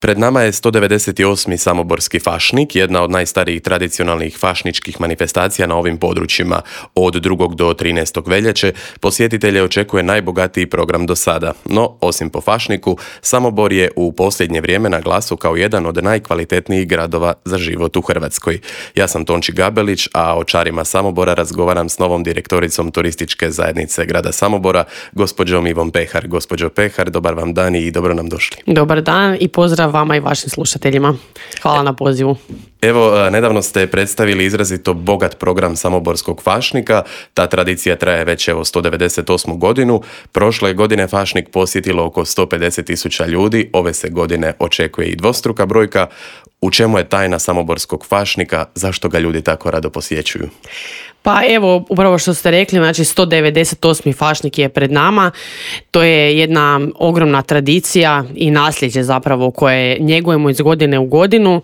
Pred nama je 198. Samoborski fašnik, jedna od najstarijih tradicionalnih fašničkih manifestacija na ovim područjima. Od 2. do 13. veljače posjetitelje očekuje najbogatiji program do sada. No, osim po fašniku, Samobor je u posljednje vrijeme na glasu kao jedan od najkvalitetnijih gradova za život u Hrvatskoj. Ja sam Tonči Gabelić, a o čarima Samobora razgovaram s novom direktoricom turističke zajednice grada Samobora, gospođom Ivom Pehar. Gospođo Pehar, dobar vam dan i dobro nam došli. Dobar dan i pozdrav vama i vašim slušateljima. Hvala na pozivu. Evo, nedavno ste predstavili izrazito bogat program Samoborskog fašnika. Ta tradicija traje već 198. godinu. Prošle godine fašnik posjetilo oko 150.000 ljudi. Ove se godine očekuje i dvostruka brojka. U čemu je tajna Samoborskog fašnika? Zašto ga ljudi tako rado posjećuju? Pa evo, upravo što ste rekli, znači 198. fašnik je pred nama. To je jedna ogromna tradicija i nasljeđe zapravo koje njegujemo iz godine u godinu.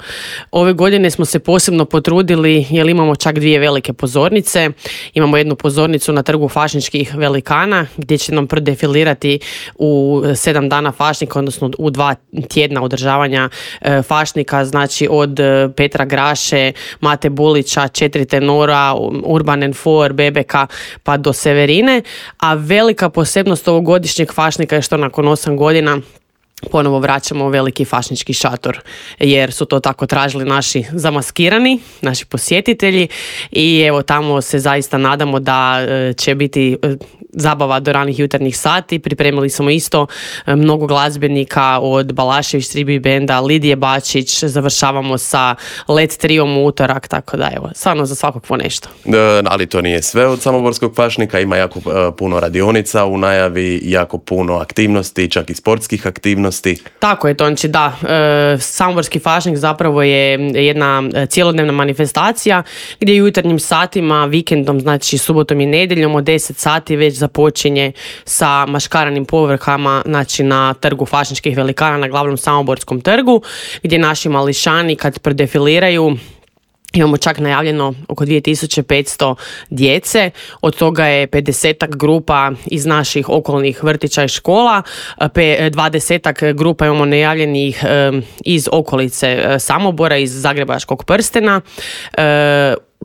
Ove godine smo se posebno potrudili jer imamo čak 2 velike pozornice. Imamo jednu pozornicu na trgu fašničkih velikana gdje će nam predefilirati u 7 dana fašnika, odnosno u 2 tjedna održavanja fašnika, znači od Petra Graše, Mate Bulića, 4 tenora, Urban Enfor, Bebeka pa do Severine, a velika posebnost ovogodišnjeg fašnika je što nakon 8 godina ponovo vraćamo veliki fašnički šator, jer su to tako tražili naši zamaskirani, naši posjetitelji i evo tamo se zaista nadamo da će biti zabava do ranih jutarnjih sati. Pripremili smo isto mnogo glazbenika od Balašević Tribi benda, Lidije Bačić, završavamo sa LED triom u utorak, tako da evo, stvarno za svakog po nešto. Ali to nije sve od Samoborskog fašnika, ima jako puno radionica u najavi, jako puno aktivnosti, čak i sportskih aktivnosti. Tako je, Tonči, da. Samoborski fašnik zapravo je jedna cjelodnevna manifestacija gdje jutarnjim satima, vikendom, znači subotom i nedjeljom od 10 sati već započinje sa maškaranim povrhama, znači na trgu fašničkih velikana na glavnom Samoborskom trgu, gdje naši mališani kad predefiliraju imamo čak najavljeno oko 2500 djece, od toga je 50 grupa iz naših okolnih vrtića i škola, 20 grupa imamo najavljenih iz okolice Samobora, iz Zagrebačkog prstena.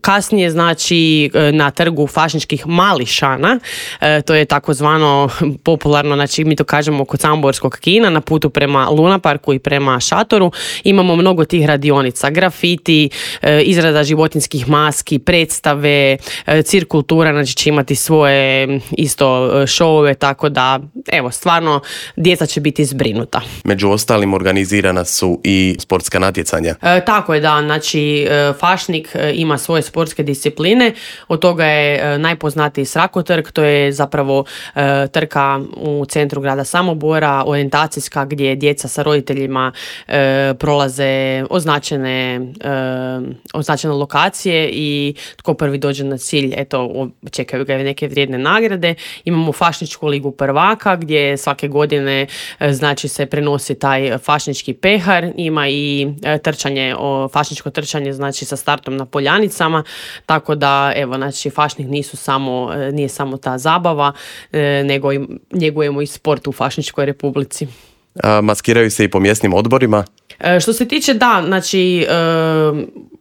Kasnije, znači, na trgu fašničkih mališana, to je takozvano popularno, znači mi to kažemo kod Samoborskog kina, na putu prema Lunaparku i prema šatoru, imamo mnogo tih radionica, grafiti, izrada životinjskih maski, predstave, cirkultura, znači će imati svoje isto šovove, tako da, evo, stvarno, djeca će biti zbrinuta. Među ostalim organizirana su i sportska natjecanja. Tako je, da, znači fašnik ima svoje sportske discipline, od toga je najpoznatiji Srakotrk, to je zapravo trka u centru grada Samobora, orijentacijska gdje djeca sa roditeljima prolaze označene lokacije i tko prvi dođe na cilj, eto, čekaju ga neke vrijedne nagrade. Imamo fašničku ligu prvaka gdje svake godine znači se prenosi taj fašnički pehar, ima i fašničko trčanje, znači sa startom na Poljanicama, tako da evo, znači fašnik nije samo ta zabava, nego njegujemo i sport u Fašničkoj Republici. Maskiraju se i po mjesnim odborima? Što se tiče, da, znači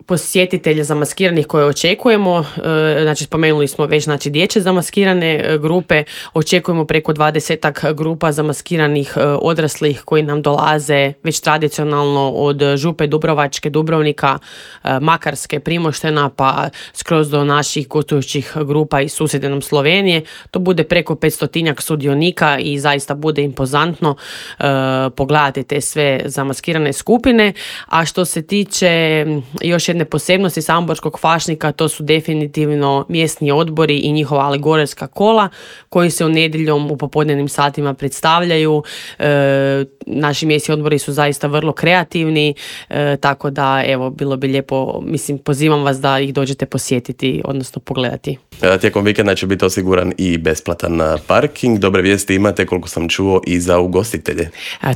posjetitelja zamaskiranih koje očekujemo, znači spomenuli smo već, znači dječje zamaskirane grupe, očekujemo preko 20 grupa zamaskiranih odraslih koji nam dolaze već tradicionalno od Župe Dubrovačke, Dubrovnika, Makarske, Primoštena pa skroz do naših gostujućih grupa iz susjedne nam Slovenije. To bude preko 500 sudionika i zaista bude impozantno pogledati te sve zamaskirane skupine. A što se tiče još jedne posebnosti samoborskog fašnika, to su definitivno mjesni odbori i njihova alegorijska kola koji se u nedjeljom u popodnevnim satima predstavljaju. Naši mjesni odbori su zaista vrlo kreativni, tako da evo, bilo bi lijepo, mislim, pozivam vas da ih dođete posjetiti, odnosno pogledati. Tijekom vikenda će biti osiguran i besplatan parking. Dobre vijesti imate, koliko sam čuo, i za ugostitelje.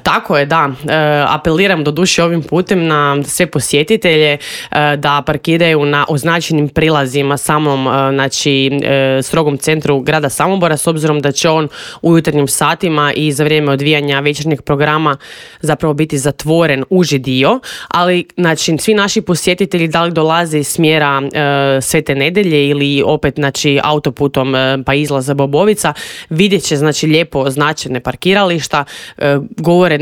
Tako je, da. Apeliram do doduše ovim putem na sve posjetitelje da parkiraju na označenim prilazima samom strogom centru grada Samobora, s obzirom da će on u jutarnjim satima i za vrijeme odvijanja večernjeg programa zapravo biti zatvoren uži dio, ali znači svi naši posjetitelji da li dolaze iz smjera Svete Nedelje ili opet autoputom pa izlaza Bobovica, vidjet će lijepo označene parkirališta, govore,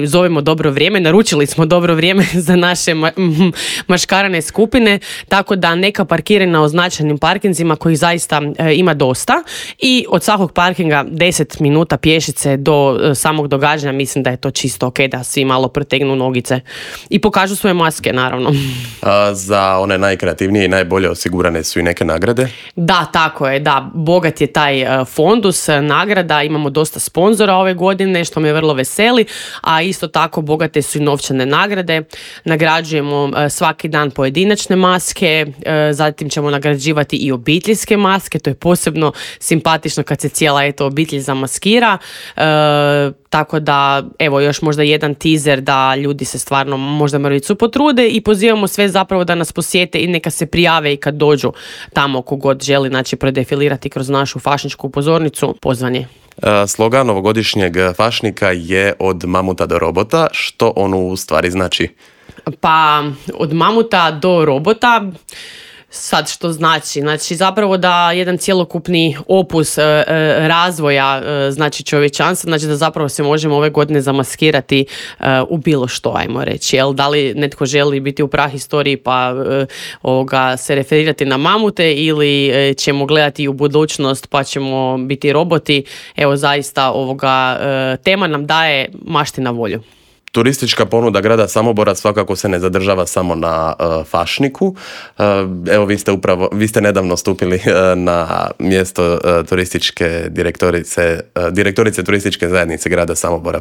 zovemo dobro vrijeme, naručili smo dobro vrijeme za naše maškarane skupine, tako da neka parkiraju na označenim parkinzima kojih zaista ima dosta i od svakog parkinga 10 minuta pješice do samog događanja, mislim da je to čisto ok da svi malo protegnu nogice i pokažu svoje maske, naravno. Za one najkreativnije i najbolje osigurane su i neke nagrade? Da, tako je, da. Bogat je taj fondus nagrada, imamo dosta sponzora ove godine, što me vrlo veseli, a isto tako bogate su i novčane nagrade. Nagrađujemo svaki dan pojedinačne maske, zatim ćemo nagrađivati i obiteljske maske, to je posebno simpatično kad se cijela obitelj zamaskira. Tako da, evo, još možda jedan teaser da ljudi se stvarno možda mrvicu potrude i pozivamo sve zapravo da nas posjete i neka se prijave i kad dođu tamo kogod želi, prodefilirati kroz našu fašničku pozornicu, pozvan je. Slogan ovogodišnjeg fašnika je od mamuta do robota. Što on u stvari znači? Pa, od mamuta do robota... Sad što znači? Znači zapravo da jedan cjelokupni opus razvoja čovječanstva, znači da zapravo se možemo ove godine zamaskirati u bilo što, ajmo reći. Jel? Da li netko želi biti u prahistoriji pa se referirati na mamute ili ćemo gledati u budućnost pa ćemo biti roboti. Evo zaista tema nam daje mašti na volju. Turistička ponuda grada Samobora svakako se ne zadržava samo na fašniku. Evo vi ste nedavno stupili na mjesto direktorice turističke zajednice grada Samobora,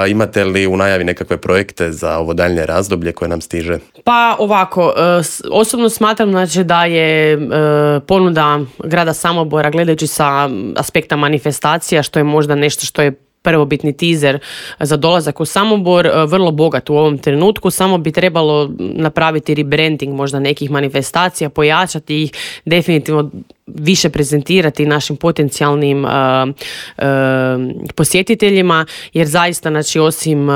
Imate li u najavi nekakve projekte za ovo daljnje razdoblje koje nam stiže? Pa ovako, osobno smatram da je ponuda grada Samobora, gledajući sa aspekta manifestacija, što je možda nešto što je prvobitni teaser za dolazak u Samobor, vrlo bogat u ovom trenutku, samo bi trebalo napraviti rebranding možda nekih manifestacija, pojačati ih, definitivno više prezentirati našim potencijalnim posjetiteljima, jer zaista osim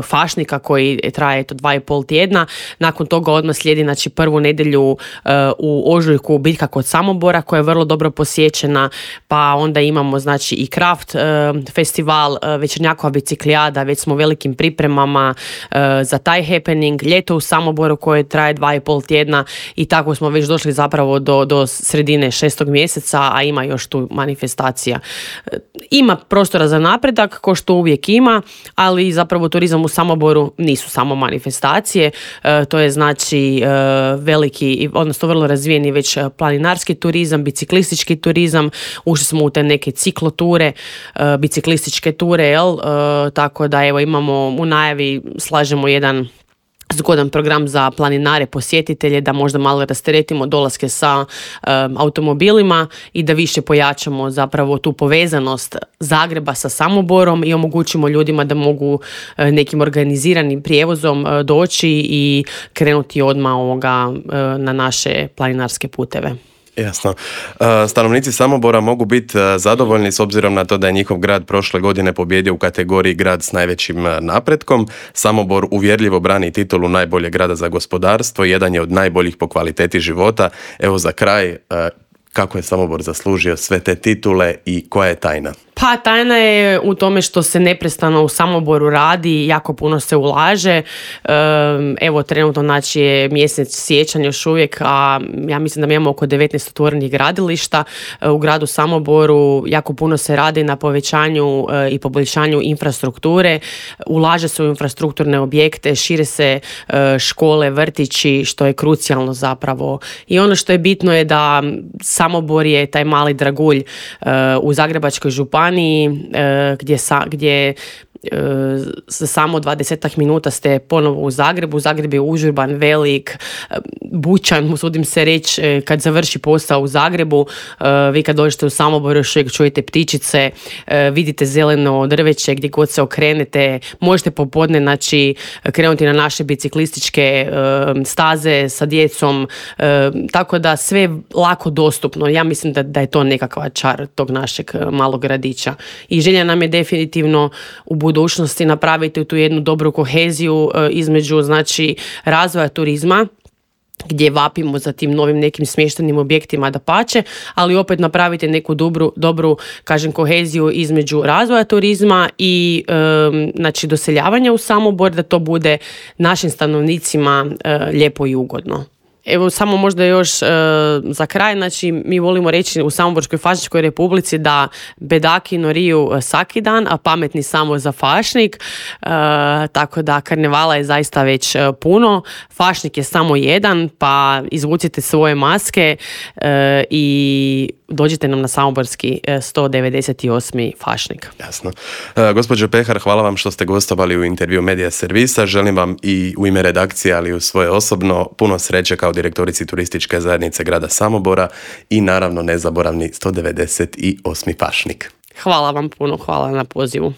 fašnika koji traje 2,5 tjedna, nakon toga odmah slijedi prvu nedjelju u ožujku biljka kod Samobora koja je vrlo dobro posjećena, pa onda imamo i Kraft festival, Večernjakova biciklijada, već smo velikim pripremama za taj happening, ljeto u Samoboru koje traje 2,5 tjedna i tako smo već došli zapravo do sredine 6. mjeseca, a ima još tu manifestacija. Ima prostora za napredak, ko što uvijek ima, ali zapravo turizam u Samoboru nisu samo manifestacije, to je veliki, odnosno vrlo razvijeni već planinarski turizam, biciklistički turizam, ušli smo u te neke cikloture, biciklističke ture, tako da evo imamo u najavi, slažemo jedan zgodan program za planinare, posjetitelje, da možda malo rasteretimo dolaske sa automobilima i da više pojačamo zapravo tu povezanost Zagreba sa Samoborom i omogućimo ljudima da mogu nekim organiziranim prijevozom doći i krenuti odmah na naše planinarske puteve. Jasno. Stanovnici Samobora mogu biti zadovoljni s obzirom na to da je njihov grad prošle godine pobijedio u kategoriji grad s najvećim napretkom. Samobor uvjerljivo brani titulu najboljeg grada za gospodarstvo, jedan je od najboljih po kvaliteti života. Evo za kraj, kako je Samobor zaslužio sve te titule i koja je tajna? Pa tajna je u tome što se neprestano u Samoboru radi, jako puno se ulaže. Evo trenutno je mjesec siječanj još uvijek, a ja mislim da mi imamo oko 19 otvorenih gradilišta u gradu Samoboru. Jako puno se radi na povećanju i poboljšanju infrastrukture. Ulaže se u infrastrukturne objekte, šire se škole, vrtići, što je krucijalno zapravo. I ono što je bitno je da Samobor je taj mali dragulj u Zagrebačkoj županiji gdje za samo 20 minuta ste ponovo u Zagrebu. Zagreb je užurban, velik, bučan, usudim se reći, kad završi posao u Zagrebu, vi kad dođete u Samobor još uvijek čujete ptičice, vidite zeleno drveće gdje god se okrenete, možete popodne znači krenuti na naše biciklističke staze sa djecom, tako da sve je lako dostupno. Ja mislim da je to nekakva čar tog našeg malog gradića. I želja nam je definitivno u budućnosti napraviti tu jednu dobru koheziju između znači razvoja turizma, gdje vapimo za tim novim nekim smještenim objektima dapače, ali opet napraviti neku dobru kažem, koheziju između razvoja turizma i znači doseljavanja u Samobor, da to bude našim stanovnicima lijepo i ugodno. Evo samo možda još za kraj, znači mi volimo reći u Samoborskoj fašničkoj republici da bedaki noriju svaki dan, a pametni samo za fašnik, tako da karnevala je zaista već puno, fašnik je samo jedan, pa izvucite svoje maske i dođite nam na Samoborski 198. fašnik. Jasno. Gospođo Pehar, hvala vam što ste gostovali u intervju Medija Servisa. Želim vam i u ime redakcije, ali i u svoje osobno puno sreće kao direktorici turističke zajednice grada Samobora i naravno nezaboravni 198. fašnik. Hvala vam puno, hvala na pozivu.